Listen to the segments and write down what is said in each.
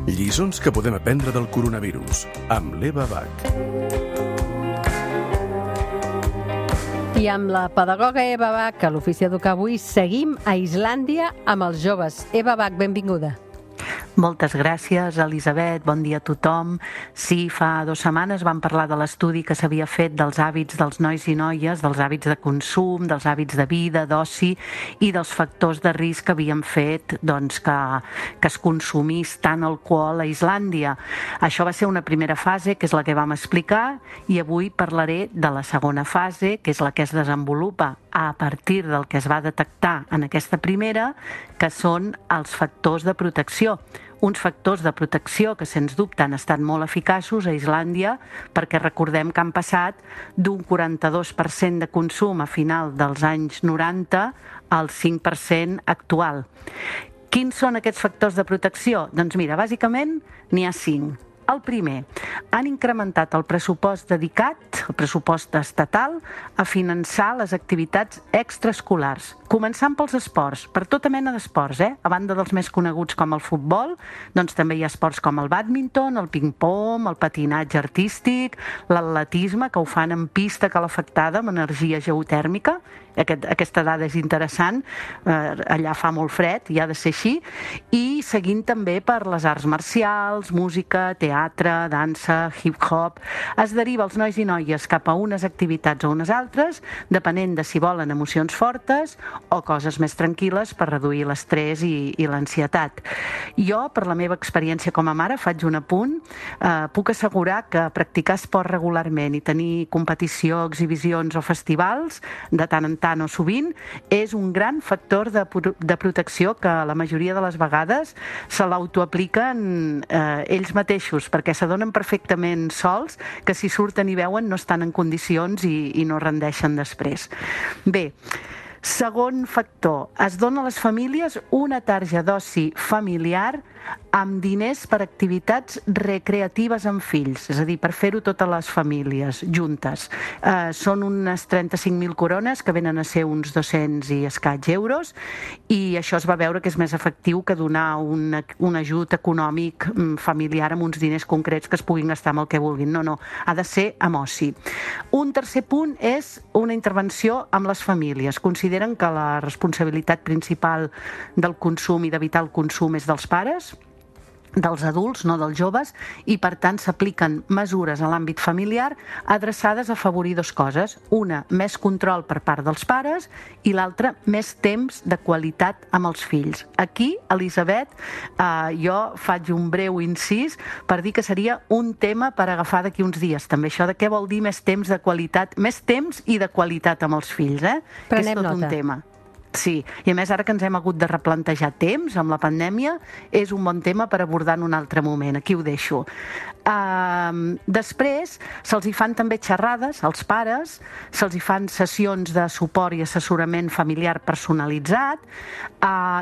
Lliçons que podem aprendre del coronavirus, amb l'Eva Bach. I amb la pedagoga Eva Bach, a l'Ofici Educar avui, seguim a Islàndia amb els joves. Eva Bach, benvinguda. Moltes gràcies, Elisabet. Bon dia a tothom. Sí, fa 2 setmanes vam parlar de l'estudi que s'havia fet dels hàbits dels nois i noies, dels hàbits de consum, dels hàbits de vida, d'oci i dels factors de risc que havien fet que es consumís tant alcohol a Islàndia. Això va ser una primera fase, que és la que vam explicar, i avui parlaré de la segona fase, que és la que es desenvolupa a partir del que es va detectar en aquesta primera, que són els factors de protecció. Uns factors de protecció que, sens dubte, han estat molt eficaços a Islàndia, perquè recordem que han passat d'un 42% de consum a final dels anys 90 al 5% actual. Quins són aquests factors de protecció? Doncs mira, bàsicament n'hi ha 5. El primer, han incrementat el pressupost dedicat, el pressupost estatal, a finançar les activitats extraescolars, començant pels esports, per tota mena d'esports, A banda dels més coneguts com el futbol, doncs també hi ha esports com el bàdminton, el ping-pong, el patinatge artístic, l'atletisme, que ho fan en pista calefactada amb energia geotèrmica. Aquesta dada és interessant, allà fa molt fred i ha de ser així, i seguint també per les arts marcials, música, teatre, dansa, hip-hop. Es deriva els nois i noies cap a unes activitats o unes altres, depenent de si volen emocions fortes o coses més tranquil·les per reduir l'estrès i l'ansietat. Jo, per la meva experiència com a mare, faig un apunt, puc assegurar que practicar esport regularment i tenir competició, exhibicions o festivals, de tant en tant o sovint, és un gran factor de protecció que la majoria de les vegades se l'autoapliquen ells mateixos, perquè s'adonen perfectament sols que si surten i veuen no estan en condicions i no rendeixen després. Bé, segon factor, es dona a les famílies una tarja d'oci familiar amb diners per activitats recreatives amb fills, és a dir, per fer-ho totes les famílies juntes. Són unes 35.000 corones, que venen a ser uns 200 i escaig euros, i això es va veure que és més efectiu que donar un ajut econòmic familiar amb uns diners concrets que es puguin gastar amb el que vulguin. No, ha de ser amb oci. Un tercer punt és una intervenció amb les famílies. Consideren que la responsabilitat principal del consum i d'evitar el consum és dels pares, dels adults, no dels joves, i per tant s'apliquen mesures a l'àmbit familiar adreçades a afavorir 2 coses. Una, més control per part dels pares, i l'altra, més temps de qualitat amb els fills. Aquí, Elisabet, jo faig un breu incís per dir que seria un tema per agafar d'aquí uns dies, també això de què vol dir més temps de qualitat, més temps i de qualitat amb els fills, que és tot un tema. Sí, i a més ara que ens hem hagut de replantejar temps amb la pandèmia, és un bon tema per abordar en un altre moment. Aquí ho deixo. Després se'ls hi fan també xerrades als pares, se'ls hi fan sessions de suport i assessorament familiar personalitzat,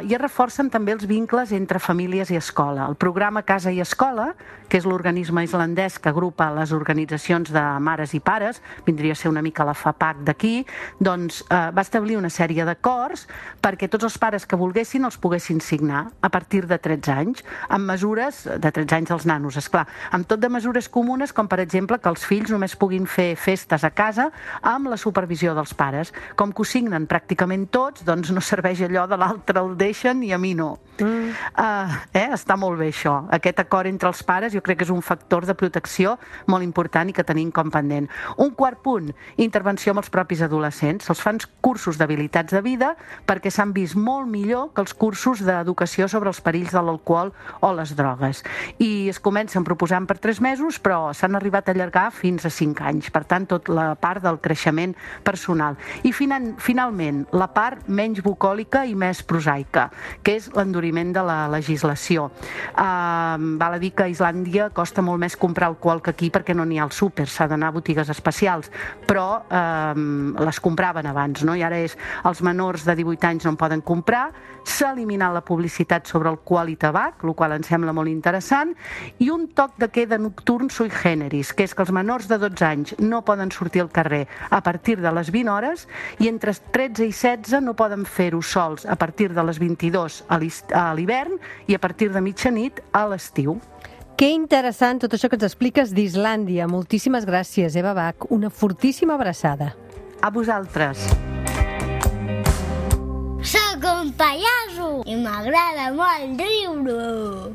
i es reforcen també els vincles entre famílies i escola. El programa Casa i Escola, que és l'organisme islandès que agrupa les organitzacions de mares i pares, vindria a ser una mica la FAPAC d'aquí, doncs va establir una sèrie d'acords perquè tots els pares que volguessin els poguessin signar a partir de 13 anys, amb mesures de 13 anys dels nanos, esclar, amb tot de mesures comunes, com per exemple que els fills només puguin fer festes a casa amb la supervisió dels pares. Com que ho signen pràcticament tots, doncs no serveix allò de l'altre el deixen i a mi no. Està molt bé això. Aquest acord entre els pares jo crec que és un factor de protecció molt important i que tenim com pendent. Un quart punt, intervenció amb els propis adolescents. Se'ls fan cursos d'habilitats de vida perquè s'han vist molt millor que els cursos d'educació sobre els perills de l'alcohol o les drogues. I es comencen proposant per 3 mesos, però s'han arribat a allargar fins a 5 anys. Per tant, tot la part del creixement personal. I finalment, la part menys bucòlica i més prosaica, que és l'enduriment de la legislació. Val a dir que a Islàndia costa molt més comprar alcohol que aquí perquè no n'hi ha al súper, s'ha d'anar a botigues especials, però les compraven abans, no? I ara és els menors de 18 anys no en poden comprar, s'ha eliminat la publicitat sobre alcohol i tabac, el qual em sembla molt interessant, i un toc de queda nocturn sui generis, que és que els menors de 12 anys no poden sortir al carrer a partir de les 20 hores i entre 13 i 16 no poden fer-ho sols a partir de les 22 a l'hivern i a partir de mitjanit a l'estiu. Que interessant tot això que ens expliques d'Islàndia. Moltíssimes gràcies, Eva Bach. Una fortíssima abraçada. A vosaltres. Soc un pallasso i m'agrada molt riure.